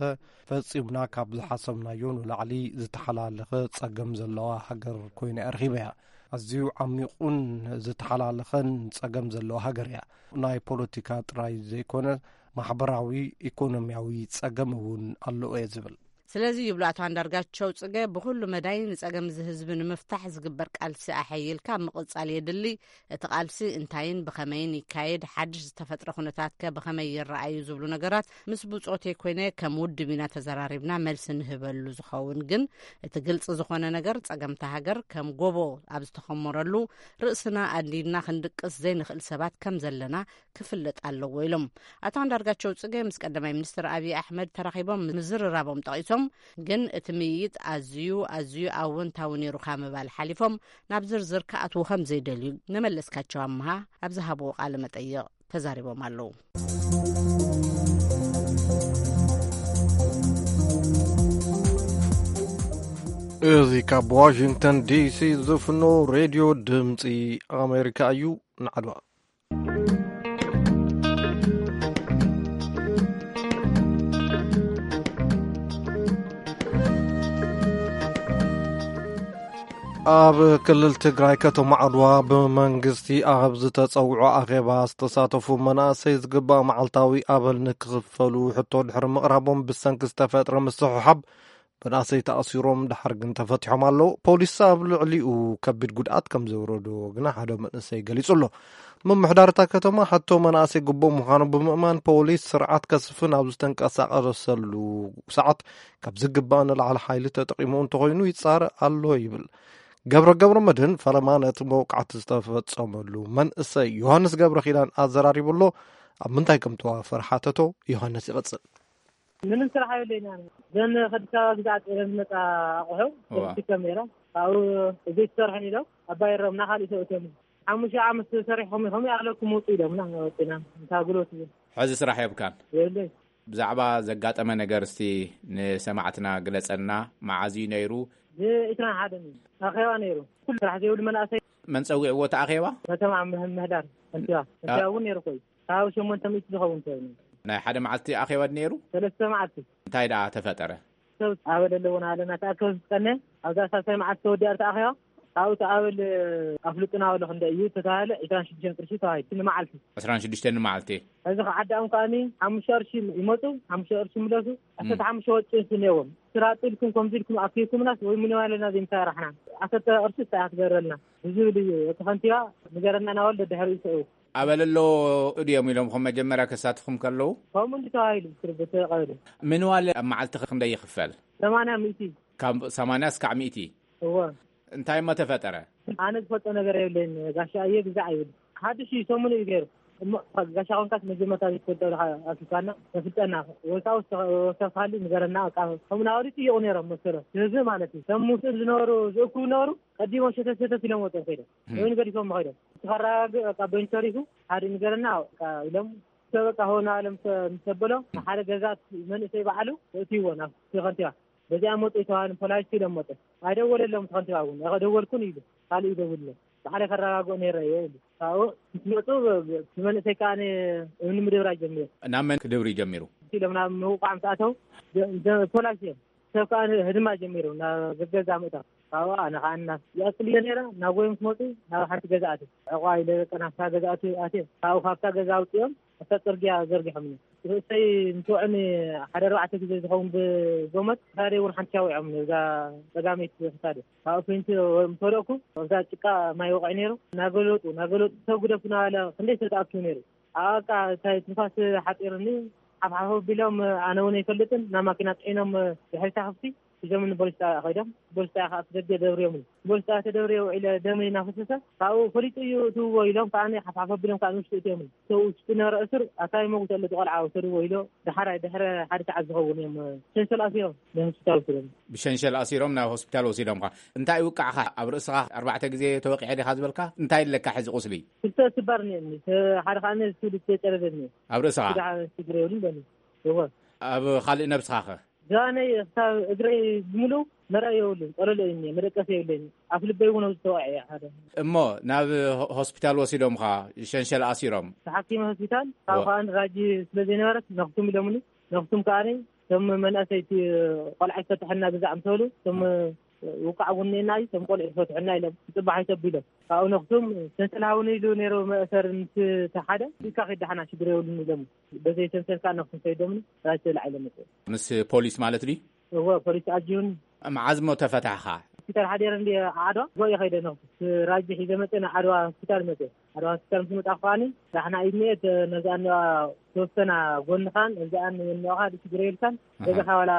ፈጺምና ካብ ዝሓሰብናዮ ንላዕሊ ዝተሓላለኸ ጸገም ዘለዋ ሃገር ኮይና እያ ረኺበያ። ኣዝዩ ዓሚቑን ዝተሓላለኸን ጸገም ዘለዋ ሃገር እያ። ናይ ፖለቲካ ጥራይ ዘይኮነ፣ ማሕበራዊ፣ ኢኮኖሚያዊ ጸገም እውን ኣለዎ እየ ዝብል። ስለዚ ይብሉ ኣቶ ኣንዳርጋቸው ጽገ፣ ብኹሉ መዳይ ንጸገም እዚ ህዝቢ ንምፍታሕ ዝግበር ቃልሲ ኣሐይልካ ምቕጻል የድሊ። እቲ ቃልሲ እንታይን ብኸመይን ይካየድ፣ ሓድሽ ዝተፈጥረ ኩነታት ከ ብኸመይ ይረኣዩ ዝብሉ ነገራት ምስ ብጾተይ ኮይነ ከም ውድብ ኢና ተዘራሪብና መልሲ ንህበሉ። ዝኸውን ግን እቲ ግልጺ ዝኾነ ነገር ጸገምታ ሃገር ከም ጎቦ ኣብ ዝተኸመረሉ ርእስና ኣንዲድና ክንድቅስ ዘይንኽእል ሰባት ከም ዘለና ክፍለጥ ኣለዎ ኢሎም። ኣቶ ኣንዳርጋቸው ጽገ ምስ ቀዳማይ ሚኒስትር ኣብይ ኣሕመድ ተራኺቦም ምዝርራቦም ጠቒሶም፣ ግን እቲ ምይይጥ ኣዝዩ ኣዝዩ ኣወንታዊ ነይሩ ካብ ምባል ሓሊፎም ናብ ዝርዝር ክኣትዉ ከም ዘይደልዩ ንመለስካቸው ኣምሃ ኣብ ዝሃብዎ ቃለ መጠይቕ ተዛሪቦም ኣለዉ። እዚ ካብ ዋሽንግተን ዲሲ ዝፍኖ ሬድዮ ድምፂ ኣሜሪካ እዩ። ንዓድዋ ኣብ ክልል ትግራይ ከተማ ዓድዋ ብመንግስቲ ኣብ ዝተጸውዖ ኣኼባ ዝተሳተፉ መናእሰይ ዝግባእ መዓልታዊ ኣበል ንክኽፈሉ ሕቶ ድሕሪ ምቕራቦም ብሰንኪ ዝተፈጥረ ምስሕሓብ መናእሰይ ተኣሲሮም ድሓር ግን ተፈቲሖም ኣለዉ። ፖሊስ ኣብ ልዕሊኡ ከቢድ ጉድኣት ከም ዘውረዶ ግና ሓደ መንእሰይ ገሊጹ ኣሎ። ምምሕዳር እታ ከተማ ሕቶ መናእሰይ ግቡእ ምዃኑ ብምእማን ፖሊስ ስርዓት ከስፍን ኣብ ዝተንቀሳቐሰሉ ሰዓት ካብ ዝግባእ ንላዕሊ ሓይሊ ተጠቒሙ እንተኾይኑ ይጻረእ ኣሎ ይብል። ገብረ ገብረ መድህን ፈለማ ነቲ መውቃዕቲ ዝተፈጸመሉ መንእሰይ ዮሃንስ ገብረ ኪዳን ኣዘራሪቡ ኣሎ። ኣብ ምንታይ ከም ተዋፈረ ሓተቶ። ዮሃንስ ይቐጽል። ምንም ስራሕ የብለይና። ዘን ከዲስ ኣበባ ግዛዕ ጤለን ዝመፃ ኣቑሑ እዋ። ተሸኪከም ነይረ። ካብኡ ዘይትሰርሕን ኢሎም ኣባይሮም ናኻሊእ ሰብእቶም ሓሙሽተ ዓመት ሰሪሕኹም ኢኹም ኣለኩም ውጡ ኢሎምና። ወፂና እንታ ጉልበት እዩ። ሕዚ ስራሕ የብካን። የብለይ። ብዛዕባ ዘጋጠመ ነገር እስቲ ንሰማዕትና ግለፀልና። መዓዝ እዩ ነይሩ? ብዒስራን ሓደን እዩ ኣኼባ ነይሩ። ኩሉ ስራሕ ዘይብሉ መናእሰይ። መን ፀዊዕዎ እቲ ኣኼባ? ከተማ ምህዳር ከንቲባ ከንቲባ እውን ነይሩ ኮዩ። ካብ ሸሞንተ ሚእቲ ዝኸውን ሰብ እዩ። ናይ ሓደ መዓልቲ ኣኼባ ድዩ ነይሩ? ሰለስተ መዓልቲ። እንታይ ደኣ ተፈጠረ? ሰብ ኣበል ኣለዎ እናበለና ተኣከብ ዝቀነ ኣብዛ ሳልሳይ መዓልቲ ተወዲኣ ተኣኼባ። ካብኡ እቲ ኣበል ኣፍልጡና በሎ። ክንደይ እዩ ተተባሃለ? ዕስራን ሽዱሽተን ቅርሺ ተባሂሉ ንመዓልቲ። ዕስራን ሽዱሽተን ንመዓልቲ። ሕዚ ከዓዳኦም ከኣኒ ሓሙሽተ ቅርሺ ይመፁ፣ ሓሙሽተ ቅርሺ ይምለሱ። ዓሰርተ ሓሙሽተ ወጪ እነዎም። ስራጡ ኢልኩም ከምዚ ኢልኩም ኣኪብኩምናስ ወይ ምንዋለና ዘይምሰራሕና። ዓሰርተ ቅርሺ እንታይ ክትገረልና ብዝብል እዩ እቲ ከንቲባ ንገረና እናበሉ ደድሕሪኡ ይስዕቡ። ኣበል ኣሎ ድዮም ኢሎምኹም መጀመርያ ከሳትፉም ከለዉ? ከምኡ እንዲ ተባሂሉ ብስርጉ ተቐበሉ። ምንዋል ኣብ መዓልቲ ክንደይ ይኽፈል? ሰማንያ ሚእቲ። ካብ ሰማንያ እስካዕ ሚእቲ? እወ። እንታይ እሞ ተፈጠረ? ኣነ ዝፈልጦ ነገር የብለይን። ጋሻ እየ ግዛዕ ይብል። ሓድሽ እዩ፣ ሰሙን እዩ ገይሩ። እሞ ጋሻ ኮንካስ መጀመርታ ዘይትፈልጦ ኢኻ ኣኪብካና፣ ተፍልጠና። ወይ ከዓ ወሰ-፣ ወሰኻሉ ንገረና። በቃ ከምኡ እናበሉ ይጥይቑ ነይሮም መሰሎም። ህዝቢ ማለት እዩ። እቶም ምስኡ ዝነበሩ ዝእክቡ ነበሩ። ቀዲሞም ሸተት ሸተት ኢሎም ወፅኦም ከይዶም። እም። ወይ ንገዲፎም ከይዶም። እቲ ከረጋግእ በቃ በይኑ ተሪፉ፣ ሓደ ንገረና በቃ ኢሎም። ሰብ በቃ ሆ እናበለ ምስ፣ ምስ ተበሎ፣ ንሓደ ገዛ መንእሰይ ባዕሉ የእትይዎ ናብ እቲ ከንቲባ። በዚኣ መጡ ይተባሃሉ ፖላይስ ኢሎም መጡ። ኣይደወለሎም እቲ ከንቲባ እውን። ኣኸ ደወልኩን ኢሉ። ካልእ ይደውልሎም። ባዕለ ከረጋግኦ ነይረ እየ ኢሉ። ካብኡ ምስ መጡ፣ እቲ መንእሰይ ከዓ እምኒ ምድብራይ ጀሚሩ። ናብ መን ክድብሪ ጀሚሩ? ኢሎም ናብ ምውቃዕ ምስ ኣተው፣ ደ-፣ ደ-፣ ፖላይስ እዮም። ሰብ ከዓ ህድማ ጀሚሩ፣ ናብ ገዛ ምእታው። ካብኡ ኣነ ከዓ እና ይቐጽል እየ ነይረ። ናብ ጎይ ምስ መጡ፣ ናብ ሓንቲ ገዛ ኣትየ። ዕቋ ኢለ በቃ ናብታ ገዛ ኣትየ፣ ኣትየ። ካብኡ ካብታ ገዛ ኣውፅኦም፣ ኣብታ ፅርግያ ዘርጊሖምኒ። ርእሰይ ምስ ወዕኒ ሓደ ኣርባዕተ ግዜ ዝኸውን ብገመድ፣ ክሳደይ እውን ሓንቲ ኣውዒዖምኒ፣ እዛ ጸጋመይቲ ክሳደይ። ካብኡ ፌንት ምስ ወደቕኩ፣ ኣብዛ ጭቃ ማይ ወቒዑ ነይሩ። እናገለጡ፣ እናገለጡ፣ ሰብ ግደፉ እናበለ ክንደይ ሰብ ተኣኪቡ ነይሩ። ኣብኣ በቃ እንታይ ትንፋስ ሓፂሩኒ፣ ሓፍሓፍ ኣቢሎም፣ ኣነ እውን ኣይፈልጥን፣ ናብ ማኪና ፅዒኖም ድሕሪታ ክፍቲ ሒዞምኒ ፖሊስ ጣብያ ከይዶም፣ ፖሊስ ጣብያ ከዓ እቲ ደገ ደብርዮምኒ። ፖሊስ ጣብያ ተደብርየ ውዒለ ደመይ እናፈሰሰ፣ ካብኡ ፈሊጡ እዩ እትውዎ ኢሎም ከዓ ሓፍሓፍ ኣቢሎም ከዓ ንውሽጢ እትዮምኒ። እቶ ውሽጢ ነበረ እሱር ኣታ ይመውት ኣሎ እቲ ቆልዓ ውሰድዎ ኢሎ፣ ደሓራይ ድሕሪ ሓደ ሰዓት ዝኸውን እዮም ሸንሸል ኣሲሮም ንሆስፒታል ወሲዶም። ብሸንሸል ኣሲሮም ናብ ሆስፒታል ወሲዶምኻ። እንታይ ይውቃዕኻ? ኣብ ርእስኻ ኣርባዕተ ግዜ ተወቂዐ ዲኻ ዝበልካ? እንታይ ኣለካ ሕዚ ቁስሊ? ክልተ ስባር እኒአኒ፣ ሓደ ከዓ ስሉስ ተጨረደኒ። ኣብ ርእስኻ? ሽግር የብሉን በኒ። እወ። ኣብ ካልእ ነብስኻ ኸ? ዝባነይ ክሳብ እግረይ ብምሉእ መርኣይ የብሉን፣ ጠለሎ እዩ እኒአ፣ መደቀሲ የብለይን። ኣፍ ልበይ እውን ኣብዚ ተወቂዐ ሓደ። እሞ ናብ ሆ-፣ ሆስፒታል ወሲዶምኻ ሸንሸል ኣሲሮም? ተሓኪመ ሆስፒታል፣ ካብኡ እወ። ከኣ ራጂ ስለ ዘይነበረት ነኽቱም ኢሎምኒ። ነኽቱም ከኣ እቶም መናእሰይ እቲ ቆልዓ ይፈትሐና ግዛዕ ምስ በሉ፣ እቶም ውቃዕ እውን እኒአና እዩ፣ እቶም ቆልዑ ይፈትሐና ኢሎም፣ ክጽባሕ ኣይተቢሎም። ካብኡ ነኽቱም ሰንሰል ሃቡኒ ኢሉ ነይሩ መእሰሪ ምስ እቲ ሓደ፣ ኢድካ ከይዳሓና ሽግር የብሉን ኢሎም። በዘይ ሰንሰል ከኣ ነኽቱም ከይዶምኒ ራጂ ተላዒሎም መጽኡ። ምስ ፖሊስ ማለት ድዩ? እወ፣ ፖሊስ ኣጅቡኒ። መዓዝ እሞ ተፈታሕኻ? ሆስፒታል ሓዲረ እንዲ ዓድዋ ጎየ ከይደ ነኹ። ራጂ ሒዘ መፀ፣ ናብ ዓድዋ ሆስፒታል መፀ። ዓድዋ ሆስፒታል ምስ መጣኹ ከዓኒ ዳሕና ኢድኒ እየ፣ ነዛ እኒኣ ተወሰና ጎንኻን እዚኣን እኒኦኻ ድስግረ ኢልካን፣ ገዛኻ ዋላ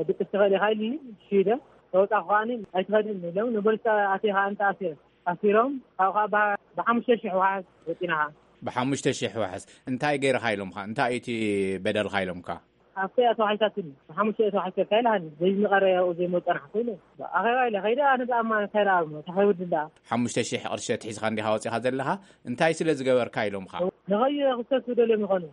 ድቅስ ትኽእል ኢኻ ኢሉኒ። ሽደ ተወጣኹ ከዓኒ ኣይትኸድን ኢሎም፣ ንፖሊስ ኣትኻ ኣንተ ኣሲረ ኣሲሮም፣ ካብኡ ከዓ ብሓሙሽተ ሽሕ ዋሕስ ወፂናኻ። ብሓሙሽተ ሽሕ ዋሕስ እንታይ ገይርኻ ኢሎምኻ? እንታይ እቲ በደልኻ ኢሎምካ? ኣብቲ ኣቶ ሓይታትን ብሓሙሽተ ኣቶ ሓይታካ ኢልሃኒ። ዘይምቐረ ያው ዘይመፀናሕ ኮይነ ኣኼባ ኢለ ከይደ። ኣነ ብኣማ እንታይ ደኣ ታኸይ ውድን ደኣ ሓሙሽተ ሽሕ ቅርሺ ተትሒዝኻ እንዲኻ ወፂኻ ዘለኻ? እንታይ ስለ ዝገበርካ ኢሎምኻ? ንኸዩ ክሰሱ ደልዮም ይኾኑ።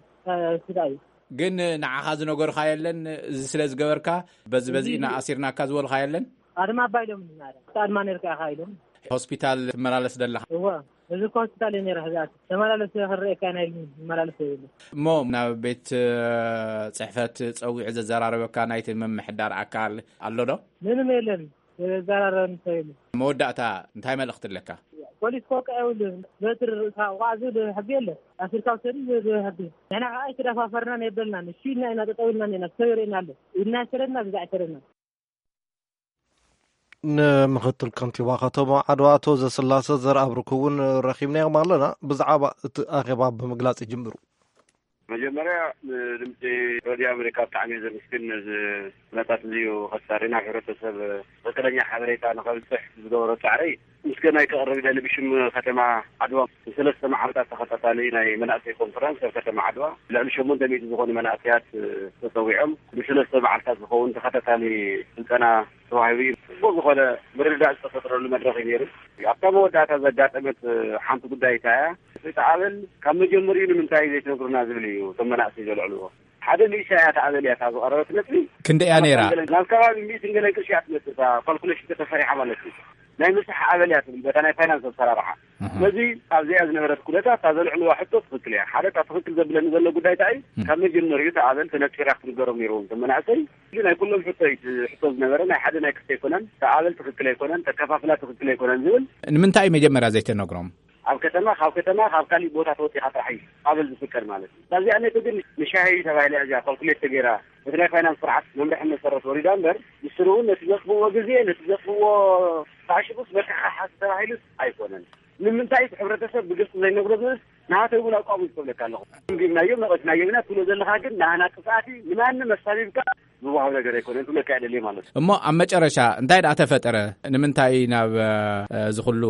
ስዳ እዩ። ግን ንዓኻ ዝነገርካ የለን? እዚ ስለ ዝገበርካ በዚ በዚ ኢና ኣሲርናካ ዝበልካ የለን? ኣድማ ኣባይሎም ናረ ኣድማ ነርካ ኢኻ ኢሎም። ሆስፒታል ትመላለስ ዘለኻ? እወ፣ እዚ እኮ ሆስፒታል እየ ነይረ። ሕዛት ተመላለስ ክረኤካ ናይ መላለስ የብሉ። እሞ ናብ ቤት ጽሕፈት ጸዊዑ ዘዘራረበካ ናይቲ ምምሕዳር ኣካል ኣሎ ዶ? ምንም የለን። ዘራረበኒ ሰብ የለን። መወዳእታ እንታይ መልእኽቲ ኣለካ? ፖሊስ ክወቅዕ የብሉን። በትሪ ርእስኻ ውቃዕ ዝብል ሕጊ የለን። ኣሲርካ ውሰዱ ዝብል ሕጊ። ንሕና ከዓ ኣይተደፋፈርናን የበልናን። እሺ ኢልና ኢና ጠጠው ኢልና እኒና። ሰብ ይርእየና ኣሎ። ኢድና ይሰደድና፣ ግዛዕ ይሰደድና። ንምክትል ከንቲባ ከተማ ዓድዋ ኣቶ ዘስላሰ ዘርኣብርክ እውን ረኺብናዮም ኣለና። ብዛዕባ እቲ ኣኼባ ብምግላጽ ይጅምሩ። መጀመርያ ንድምፂ ሬድዮ ኣሜሪካ ብጣዕሚ እየ ዘመስግን፣ ነዚ ኩነታት እዚዩ ከሳሪ ናብ ሕብረተሰብ ትኽክለኛ ሓበሬታ ንኸብፅሕ ዝገበሮ ፃዕሪ ምስጋናይ ከቕርብ ይደሊ። ብሽም ከተማ ዓድዋ ንሰለስተ መዓልታት ተኸታታሊ ናይ መናእሰይ ኮንፈረንስ ኣብ ከተማ ዓድዋ ልዕሊ ሸሞንተ ሚእቲ ዝኾኑ መናእሰያት ተፀዊዖም ንሰለስተ መዓልታት ዝኸውን ተኸታታሊ ስልጠና ተዋሂቡ እዩ። ፅቡቅ ዝኾነ ምርድዳእ ዝተፈጥረሉ መድረኽ እዩ ነይሩ። ኣብታ መወዳእታ ዘጋጠመት ሓንቲ ጉዳይ እንታይ እያ? እቲ ኣበል ካብ መጀመሪኡ ንምንታይ ዘይትነግሩና ዝብል እዩ እቶም መናእሰይ ዘልዕልዎ። ሓደ ንእሽተይ እያ እታ ኣበል እያ እታ ዝቐረበት ነጥቢ። ክንደይ እያ ነይራ? ናብ ከባቢ ሚእትን ገለን ቅርሺ እያ ትመጽእ እታ ካልኩሌሽን ተተሰሪሓ ማለት እዩ። ናይ ምስራሕ ኣበል እያ ትብል በታ ናይ ፋይናንስ ኣሰራርሓ። እህ። ስለዚ ኣብዚኣ ዝነበረት ኩነታት እታ ዘልዕልዋ ሕቶ ትኽክል እያ። ሓደ እታ ትኽክል ዘብለኒ ዘሎ ጉዳይ እንታይ እዩ? እም። ካብ መጀመሪኡ እታ ኣበል ተነጺራ ክትንገሮም ነይርዎም እቶም መናእሰይ። እዚ ናይ ኩሎም ሕቶ እዩ፣ እቲ ሕቶ ዝነበረ ናይ ሓደ ናይ ክልተ ኣይኮነን። እታ ኣበል ትኽክል ኣይኮነን፣ ተከፋፍላ ትኽክል ኣይኮነን ዝብል። ንምንታይ እዩ መጀመርያ ዘይተነግሮም? ኣብ ከተማ፣ ካብ ከተማ፣ ካብ ካሊእ ቦታ ተወፂኻ ጥራሕ እዩ ኣበል ዝፍቀድ ማለት እዩ። እዛ እዚኣ ነቲ ግን ንሻሂ ተባሂላ እያ እዚኣ ካልኩሌት ተገይራ፣ በቲ ናይ ፋይናንስ ስርዓት መምርሒ መሰረት ወሪዳ እምበር፣ ንስሩ እውን ነቲ ዘጥፍእዎ ግዜ፣ ነቲ ዘጥፍእዎ ተዓሽጉስ መከሓሓሲ ተባሂሉስ ኣይኮነን። ንምንታይ እቲ ሕብረተሰብ ብግልፂ ዘይነግሮ ዝብልስ ንሃተይ እውን ኣቋሙ ዝከብለካ ኣለኹ። ገምጊምናዮም፣ ነቐፍናዮም ኢና ትብሎ ዘለኻ ግን ንሃና ጥፍኣት እዩ። ንማንም ኣሳቢብካ ዝወሃብ ነገር ኣይኮነን ክብለካ እየ ደልየ ማለት እዩ። እሞ ኣብ መጨረሻ እንታይ ደኣ ተፈጠረ? ንምንታይ ናብ፣ እ፣ እዚ ኩሉ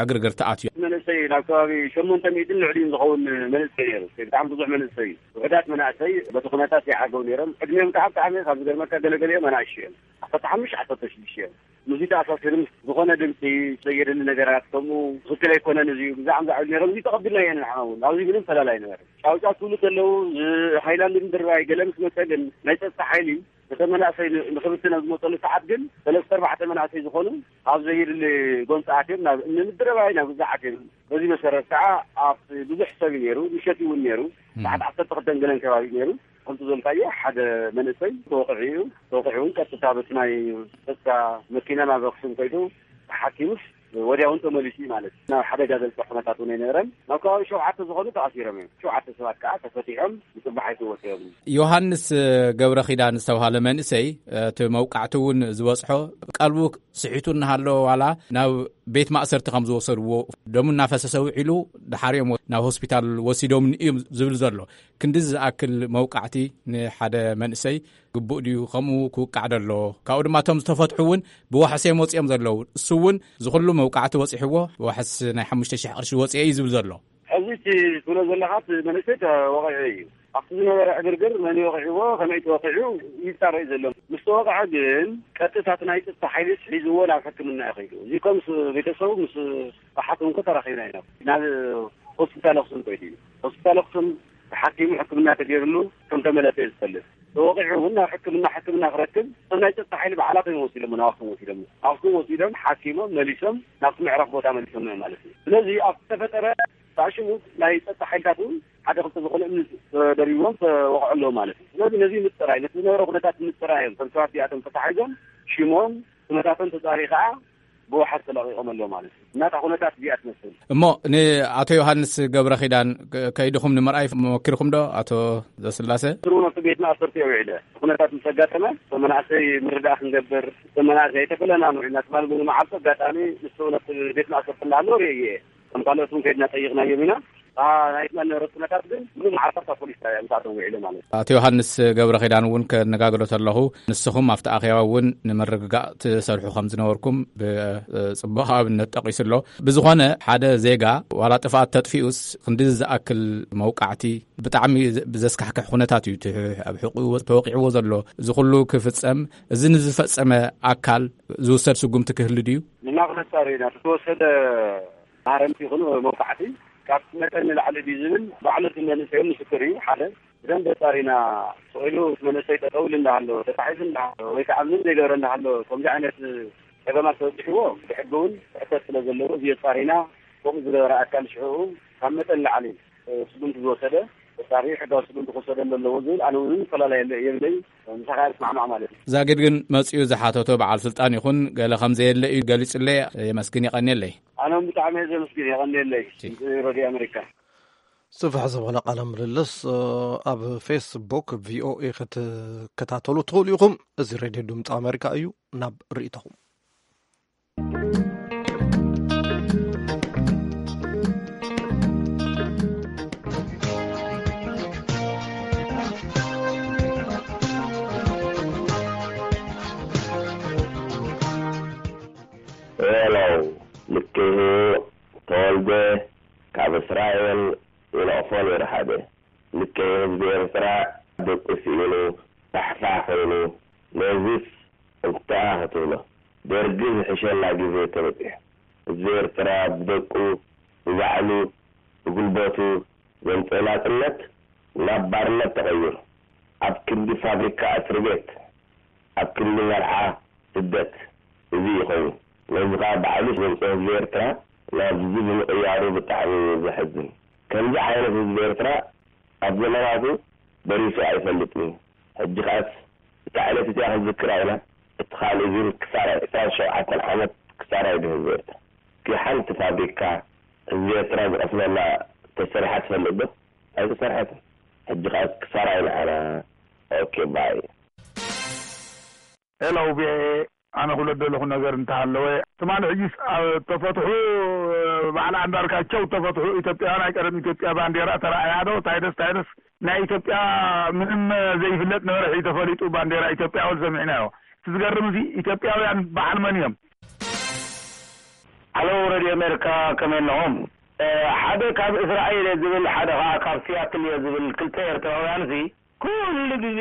ዕግርግር ተኣትዮ? መንእሰይ ናብ ከባቢ ሸሞንተ ሚእትን ልዕሊኡን ዝኸውን መንእሰይ ነይሩ። ብጣዕሚ ብዙሕ መንእሰይ እዩ። ውሑዳት መናእሰይ በቲ ኩነታት ይዓገው ነይሮም። ዕድሜኦም ከዓ ብጣዕሚ ካብ ዝገርመካ ገለገሊኦም ኣናእሽቱ እዮም። ዓሰርተ ሓሙሽተ ዓሰርተ ሽዱሽተ እዮም። ምስዚ ተኣሳሲሩ ምስ ዝኾነ ድምፂ ዘየድሊ ነገራት ከምኡ ትኽክል ኣይኮነን እዚ ብዛዕባ ዝዓብዱ ነይሮም። እዚ ተቐቢልናዮ ንሕና እውን። ኣብዚ ምንም ፈላል ኣይነበረን። ጫውጫው ክብሉ ከለዉ፣ ዝ-፣ ሃይላንድ ምድርባይ ገለ ምስ መፀ ግን ናይ ፀጥታ ሓይሊ እቶም መናእሰይ ን-፣ ንክብትን ኣብ ዝመፀሉ ሰዓት ግን ሰለስተ ኣርባዕተ መናእሰይ ዝኾኑ ኣብ ዘየድሊ ጎንፂ ኣትዮም ናብ እምኒ ምድርባይ ናብ ገዛ ኣትዮም። በዚ መሰረት ከዓ ኣብቲ ብዙሕ ሰብ እዩ ነይሩ፣ ምሸት እውን ነይሩ። እም። ሰዓት ዓሰርተ ክልተን ገለን ከባቢ እዩ ነይሩ። ከምቲ ዘልካዮ ሓደ መንእሰይ ተወቂዑ እዩ። ተወቂዑ እውን ቀጥታ በቲ ናይ ጸጥታ መኪና ናብ ኣክሱም ከይዱ ተሓኪሙስ ወዲያውን ተመሊሱ እዩ ማለት እዩ። ናብ ሓደጋ ዘብፅሕ ኩነታት እውን ኣይነበረን። ናብ ከባቢ ሸውዓተ ዝኾኑ ተኣሲሮም እዮም። ሸውዓተ ሰባት ከዓ ተፈቲሖም ብፅባሕ ኣይተወፅኦም። ዮሃንስ ገብረ ኪዳን ዝተባሃለ መንእሰይ፣ እቲ መውቃዕቲ እውን ዝበፅሖ ቀልቡ ስሒቱ እናሃለወ ዋላ ናብ ቤት ማእሰርቲ ከም ዝወሰድዎ ደሙ እናፈሰሰ ውዒሉ ድሓር እዮም ናብ ሆስፒታል ወሲዶምኒ እዮም ዝብል ዘሎ። ክንዲ ዝኣክል መውቃዕቲ ንሓደ መንእሰይ ግቡእ ድዩ? ከምኡ ክውቃዕ ዶ ኣለዎ? ካብኡ ድማ እቶም ዝተፈትሑ እውን ብዋሕስ እዮም ወፂኦም ዘለዉ። እሱ እውን እዚ ኩሉ መውቃዕቲ ወፂሕዎ ብዋሕስ ናይ ሓሙሽተ ሽሕ ቅርሺ ወፂአ እዩ ዝብል ዘሎ። ሕዚ እቲ ትብሎ ዘለኻ እቲ መንእሰይ ተወቒዑ እዩ። ኣብቲ ዝነበረ ዕግርግር መን ወቒዕዎ፣ ከመይ ተወቒዑ ይጣረ እዩ ዘሎ። ምስ ተወቕዐ ግን ቀጥታ እቲ ናይ ጸጥታ ሓይልስ ሒዝዎ ናብ ሕክምና እዩ ከይዱ። እዚ እኮ ምስ ቤተሰቡ ምስ ሓኪም እኮ ተራኺብና ኢና። ናብ ሆስፒታል ኣክሱም ከይዱ እዩ። ሆስፒታል ኣክሱም ተሓኪሙ ሕክምና ተገይርሉ ከም ተመለሰ እዩ ዝፈልጥ። ተወቒዑ እውን ናብ ሕክምና፣ ሕክምና ክረክብ እቶም ናይ ጸጥታ ሓይሊ ባዕላቶም እዮም ወሲዶሞ፣ ናብ ኣክሱም ወሲዶሞ። ኣክሱም ወሲዶም ሓኪሞም መሊሶም ናብቲ ምዕራፍ ቦታ መሊሶሞ እዮም ማለት እዩ። ስለዚ ኣብ ዝተፈጠረ ብኣሽሙ ናይ ጸጥታ ሓይልታት እውን ሓደ ክልተ ዝኾነ እምኒ ተደሪቦም ተወቕዑ ኣለዉ ማለት እዩ። ስለዚ ነዚ ምጽራይ፣ ነቲ ዝነበረ ኩነታት ምጽራይ እዮም። እቶም ሰባት እዚኣቶም ተታሒዞም ሽሞም፣ ኩነታቶም ተጻርዩ ከኣ ብወሓት ተለቒቖም ኣለዉ ማለት እዩ። እናታ ኩነታት እዚኣ ትመስል። እሞ ንኣቶ ዮሃንስ ገብረ ኪዳን ከ-፣ ከይድኹም ንምርኣይ መወኪርኩም ዶ? ኣቶ ዘስላሰ? ስሩ ነቲ ቤት ማእሰርቲ የውዒለ። ኩነታት ምስ ኣጋጠመ፣ እቶም መናእሰይ ምርዳእ ክንገብር፣ እቶም መናእሰይ ኣይተፈለና ንውዒልና ትማል እውን መዓልቲ ኣጋጣሚ ንሱ ነቲ ቤት ማእሰርቲ እናሃለወ ርእየ። ከም ካልኦት እውን ከይድና ጠይቕናዮም ኢና። እታ ናይ ትማል ነበረት ኩነታት ግን ምሉእ መዓልቲ ኣብታ ፖሊስ ጣብያ ምስኣቶም ውዒለ ማለት እዩ። ኣቶ ዮሃንስ ገብረ ኪዳን እውን ከነጋግሮ ተለኹ፣ ንስኹም ኣብቲ ኣኼባ እውን ንምርግጋእ ትሰርሑ ከም ዝነበርኩም ብጽቡቕ ኣብነት ጠቒሱ ኣሎ። ብዝኾነ ሓደ ዜጋ ዋላ ጥፍኣት ተጥፊኡስ ክንዲ ዝኣክል መውቃዕቲ ብጣዕሚ ዘ-፣ ብዘስካሕክሕ ኩነታት እዩ እቲ ኣብ ሕቑኡ ተወቂዕዎ ዘሎ። እዚ ኩሉ ክፍጸም፣ እዚ ንዝፈጸመ ኣካል ዝውሰድ ስጉምቲ ክህሉ ድዩ? ንሕና ክነጻሪ ኢና። እቲ ዝተወሰደ ማህረምቲ ይኹን መውቃዕቲ ካብ መጠን ንላዕሊ ድዩ ዝብል ባዕሉ እቲ መንእሰይ እውን ምስክር እዩ። ሓደ ብደንብ ኣጻሪና ስቕ ኢሉ እቲ መንእሰይ ጠጠው ኢሉ እንዳሃሎ፣ ተታሒዙ እንዳሃሎ፣ ወይ ከዓ ምንም ዘይገበረ እንዳሃሎ፣ ከምዚ ዓይነት ጸገማት ተበጺሕዎ ብሕጊ እውን ሕተት ስለ ዘለዎ፣ እዚ ኣጻሪና ከምኡ ዝገበረ ኣካል ሽዕኡ ካብ መጠን ንላዕሊ ስጉምቲ ዝወሰደ ተጻሪ ሕጋዊ ስጉምቲ ክወሰደሉ ኣለዎ ዝብል ኣነ እውን ፈላላይ የለ-፣ የብለይ። ምሳኻ ይስማዕማዕ ማለት እዩ። ዛጊድ ግን መጺኡ ዝሓተቶ በዓል ስልጣን ይኹን ገለ ከም ዘየለ እዩ ገሊጹለይ። የመስግን፣ የቐንየለይ። ኣነ እውን ብጣዕሚ እየ ዘመስግን፣ የቐንየለይ። እሺ። ሬድዮ ኣሜሪካ። ጽፍሕ ዝበለ ቃለ ምልልስ፣ እ፣ ኣብ ፌስቡክ ቪኦኤ ክትከታተሉ ትኽእሉ ኢኹም። እዚ ሬድዮ ድምፂ ኣሜሪካ እዩ። ናብ ርእይቶኹም። ሄሎ፣ ልክህ ተወልደ ካብ እስራኤል ይነቕፎ ነይሩ ሓደ። ልክዕ ህዝቢ ኤርትራ ደቁ ስኢኑ ፋሕፋሕ ኮይኑ፣ ነዚስ እንታይ ክትብሎ? ደርጊ ዝሕሸና ግዜ ተበጺሑ። ህዝቢ ኤርትራ ብደቁ፣ ብባዕሉ፣ ብጉልበቱ ዘምጽኦ ናጽነት ናብ ባርነት ተቐይሩ። ኣብ ክንዲ ፋብሪካ እስሪ ቤት፣ ኣብ ክንዲ መርዓ ስደት፣ እዚ ይኸውን። ነዚ ኸኣ ባዕሉ ዘምጽኦ ህዝቢ ኤርትራ ናብዚ ብምቕያሩ ብጣዕሚ እዩ ዘሕዝን። ከምዚ ዓይነት ህዝቢ ኤርትራ ኣብ ዘመናቱ በሪሱ ኣይፈልጥን እዩ። ሕጂ ኸኣስ እታ ዕለት እቲኣ ክንዝክራ ኢና። እቲ ካልእ ግን ክሳራ ዕስራን ሸውዓተን ዓመት ክሳራ እዩ ህዝቢ ኤርትራ። እቲ ሓንቲ ፋብሪካ ህዝቢ ኤርትራ ዝቐስነላ ተሰሪሓ ትፈልጥ ዶ? ኣይተሰርሐትን። ሕጂ ኸኣስ ክሳራ ኢና ኣና። ኦኬ፣ ባይ። ሄሎ፣ ቪኦኤ፣ ኣነ ክብሎ ደለኹ ነገር እንተሃለወ፣ ትማሊ ሕጂስ ኣብ ተፈትሑ፣ በዓል ኣንዳርጋቸው ተፈትሑ፣ ኢትዮጵያውያን ናይ ቀደም ኢትዮጵያ ባንዴራ ተራእያ ዶ? ታይደስ፣ ታይደስ፣ ናይ ኢትዮጵያ ምንም ዘይፍለጥ ነበረ፣ ሕጂ ተፈሊጡ ባንዴራ ኢትዮጵያ ወል ሰሚዕናዮ። እቲ ዝገርም እዚ ኢትዮጵያውያን በዓል መን እዮም? ሃሎ፣ ሬድዮ ኣሜሪካ፣ ከመይ ኣለኹም? እ፣ ሓደ ካብ እስራኤል እየ ዝብል፣ ሓደ ኸዓ ካብ ሲያትል እየ ዝብል ክልተ ኤርትራውያን እዚ ኩሉ ግዜ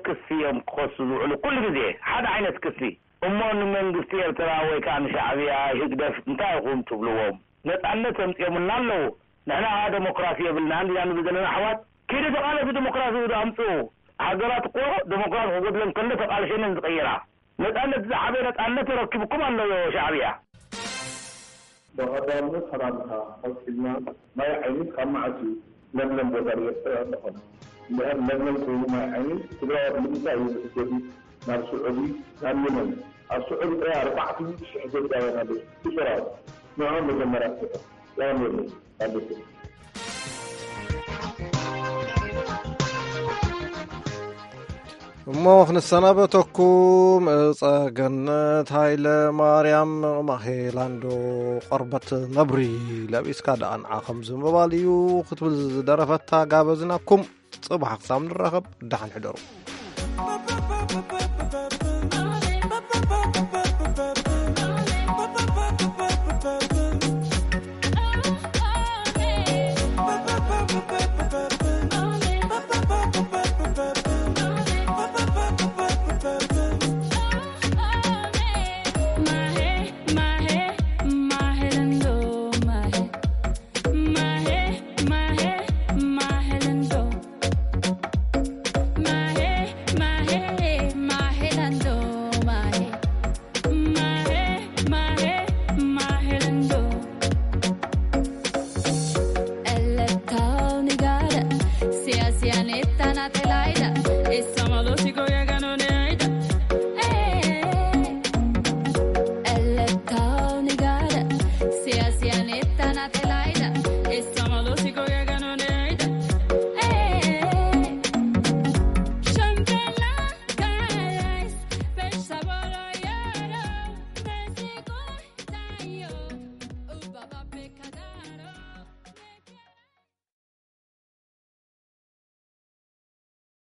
ክሲ እዮም ክኸሱ ዝውዕሉ፣ ኩሉ ግዜ ሓደ ዓይነት ክሲ። እሞ ንመንግስቲ ኤርትራ ወይ ከዓ ንሻዕብያ፣ ህግደፍ እንታይ ኢኹም ትብልዎም? ነጻነት ኣምጺኦምና ኣለዉ። ንሕና ከዓ ደሞክራሲ የብልና እንዲና ንብል ዘለና ኣሕዋት። ኪዱ ተቓለሱ፣ ደሞክራሲ ዶ ኣምጽኡ። ሃገራት እኮ ደሞክራሲ ክጎድለን ከሎ ተቓልሸን እየን ዝቕይራ። ነጻነት ዝዓበየ ነጻነት ተረኪብኩም ኣሎ ሻዕብያ። ብቐዳምነት ሰላምታ ኣትሒዝና፣ ማይ ዓይኒ ካብ መዓስ እዩ ለምለም ቦታ ንኤርትራ ዝኾነ? እንድሕር ለምለም ኮይኑ ማይ ዓይኒ፣ ትግራዋይ ብምንታይ እዩ ዝሕገዝ ናብ ስዑዲ፣ ናብ የመን? ኣብ ስዑዲ ጥራይ ኣርባዕተ ሚእቲ ሽሕ ኢትዮጵያውያን ኣለዉ። ብሰራዊት ንዕኦም መጀመርያ ፍትሑ። ሰላም የለን። ኣበስር። እሞ ክንሰናበተኩም፣ ጸገነት ሃይለ ማርያም ማሄላንዶ፣ ቆርበት ነብሪ ለቢስካ ደኣ ንዓ ከምዚ ምባል እዩ ክትብል ዝደረፈታ ጋበዝናኩም። ጽባሕ ክሳብ ንራኸብ፣ ደሓን ሕደሩ።